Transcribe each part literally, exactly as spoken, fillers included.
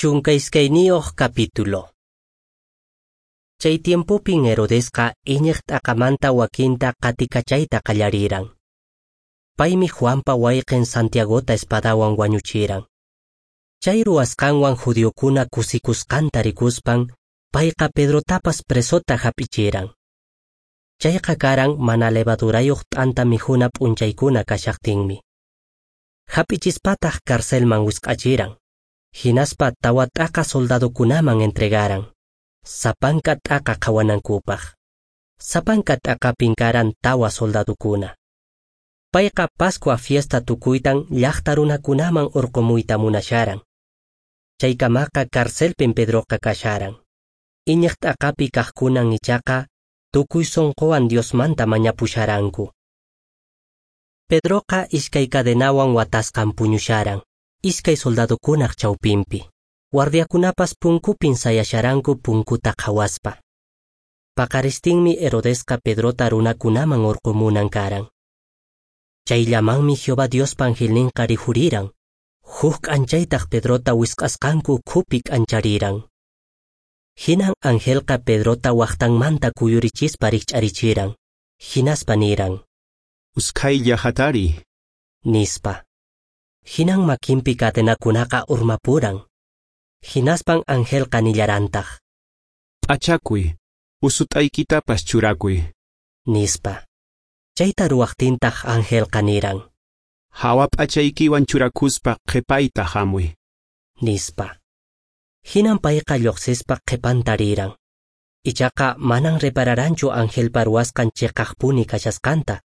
Chunka iskayniyuq capítulo. Chay tiempopin Herodesqa iñiq t'aqamanta wakinta qatikachayta qallariran. Paymi Juanpa wayqin Santiagota espadawan wañuchiran. Chay ruwasqanwan judiokuna kusikusqanta rikuspan, payqa Pedrotapas presota hap'ichiran. Chayqa karan mana levadurayuq t'anta mikhuna p'unchaykuna kashaqtinmi. Hap'ichispataq carcelman wisq'achiran. Hinaspa tawa t'aqa soldadokunaman entregaran, sapanka t'aqa qhawanankupaq. Sapanka t'aqapin karan tawa soldadokuna. Payqa Pascua fiesta tukuytan llaqta runakunaman urqumuyta munasharan. Chaykamaqa carcelpin Pedroqa kasharan. Iñiq t'aqapi kaqkunan ichaqa tukuy sunquwan Diosmanta mañapusharanku. Pedroqa iskay cadenawan watasqan puñusharan, iskay soldadokunaq chawpinpi. Guardiakunapas punkupin sayasharanku punkuta qhawaspa. Paqaristinmi Herodesqa Pedrota runakunaman urqumunan karan. Chayllamanmi Jehová Diospa angelninqa rikhuriran. Huk k'anchaytaq Pedrota wisq'asqanku ukhupi k'anchariran. Hinan angelqa Pedrota waqtanmanta kuyurichispa rikch'arichiran. Hinaspa niran: Usqhaylla hatariy, nispa. Hinan makinpi cadenakunaqa urmapuran. Hinaspan angelqa nillarantaq: P'achakuy, usut'aykitapas churakuy, nispa. Chayta ruwaqtintaq angelqa niran: Hawa p'achaykiwan churakuspa qhipayta hamuy, nispa. Hinan payqa lluqsispa qhipanta riran. Ichaqa manan repararanchu angelpa ruwasqan chiqaqpuni kashasqanta.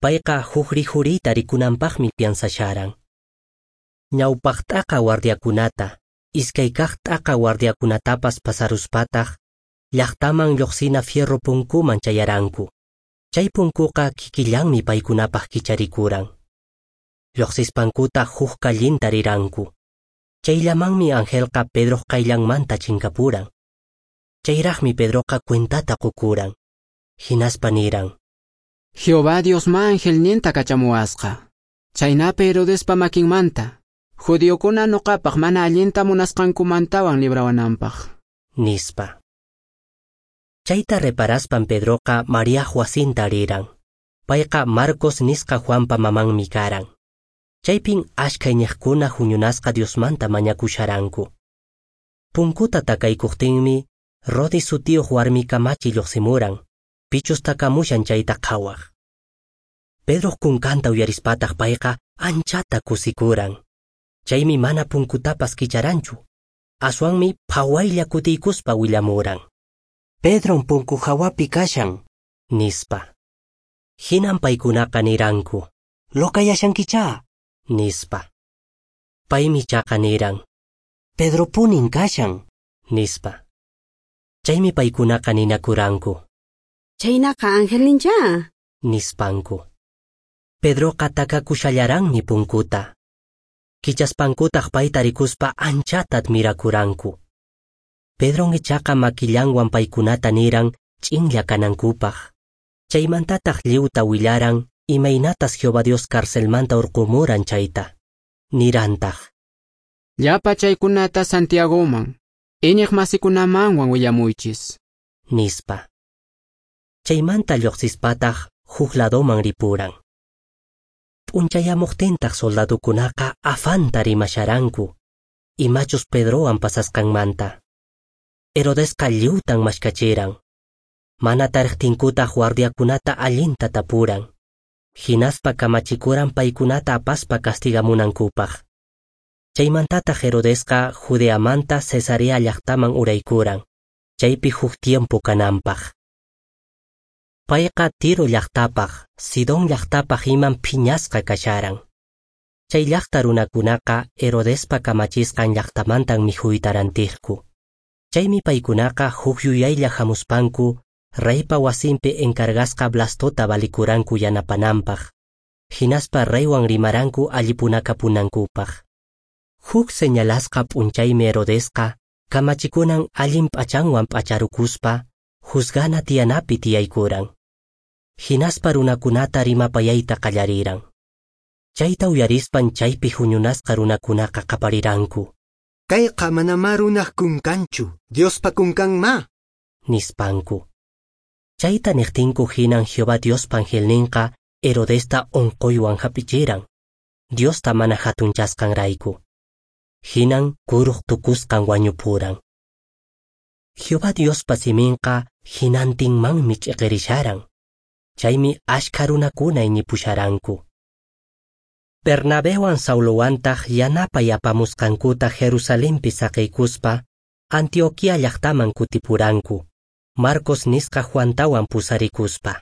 Payqa huk rikhuriyta rikunanpaqmi piensasharan. Ñawpaq t'aqa guardiakunata, iskay kaq t'aqa guardiakunatapas pasaruspataq, llaqtaman lluqsina fierro punkuman chayaranku. Chay punkuqa kikillanmi paykunapaq kicharikuran. Lluqsispankutaq huk kallinta riranku. Chayllamanmi angelqa Pedroq qayllanmanta chinkapuran. Chayraqmi Pedroqa cuentata qukuran. Hinaspa niran: Jehová Diosma angelninta kachamuwasqa. Chaynapi Herodespa makinmanta, judiokuna nuqapaq mana allinta munasqankumantawan librawananpaq, nispa. Chayta reparaspan Pedroqa Mariaq wasinta riran. Payqa Marcos nisqa Juanpa mamanmi karan. Chaypin ashka iñiqkuna huñunasqa Diosmanta mañakusharanku. Punkuta takaykuqtinmi Rodi sutiyuq warmi kamachi lluqsimuran, pichus takamushan chayta qhawaq. Pedroq kunkanta uyarispataq payqa anchata kusikuran. Chaymi mana punkutapas kicharanchu. Aswanmi phawaylla kutiykuspa willamuran: Pedron punku hawapi kashan, nispa. Hinan paykunaqa niranku: Lokayashankichá, nispa. Paymi chaqa niran: Pedropunin kashan, nispa. Chaymi paykunaqa ninakuranku: Chaynaqa angelninchá, nispanku. Pedroqa takakushallaranmi punkuta. Kichaspankutaq payta rikuspa anchata admirakuranku. Pedron ichaqa makillanwan paykunata niran ch'inlla kanankupaq. Chaymantataq lliwta willaran imaynatas Jehová Dios carcelmanta urqumuran chayta. Nirantaq: Llapa chaykunata Santiagoman, iñiq masikunamanwan willamuychis, nispa. Chaymanta lluqsispataq huk ladoman ripuran. P'unchayamuqtintaq soldadokunaqa afanta rimasharanku, imachus Pedrowan pasasqanmanta. Herodesqa lliwtan mashkachiran. Mana tariqtinkutaq guardiakunata allinta tapuran. Hinaspa kamachikuran paykunata apaspa castigamunankupaq. Chaymantataq Herodesqa Judeamanta Cesarea llaqtaman uraykuran, chaypi huk tiempo kananpaq. Payqa Tiro llaqtapaq, Sidón llaqtapaq iman phiñasqa kasharan. Chay llaqta runakunaqa Herodespa kamachisqan llaqtamantan mikhuyta rantiqku. Chaymi paykunaqa huk yuyaylla hamuspanku reypa wasinpi encargasqa Blastota valikuranku yanapananpaq. Hinaspa reywan rimaranku allipunakapunankupaq. Huk señalasqa p'unchaymi Herodesqa kamachikunan allin p'achanwan p'acharukuspa juzgana tiyanapi tiyaykuran. Hinaspa runakunata rimapayayta qallariran. Chayta uyarispan chaypi huñunasqa runakunaqa qapariranku: Kayqa manamá runaq kunkanchu, Diospa kunkanmá, nispanku. Chayta niqtinku hinan Jehová Diospa angelninqa Herodesta onqoywan hap'ichiran, Diosta mana hatunchasqanrayku. Hinan kuruq tukusqan wañupuran. Jehová Diospa siminqa hinantinmanmi ch'iqirisharan. Chaymi ashkha runakuna iñipusharanku. Bernabewan Saulowantaq yanapay apamusqankuta Jerusalenpi saqiykuspa Antioquia llaqtaman kutipuranku, Marcos nisqa Juantawan pusarikuspa.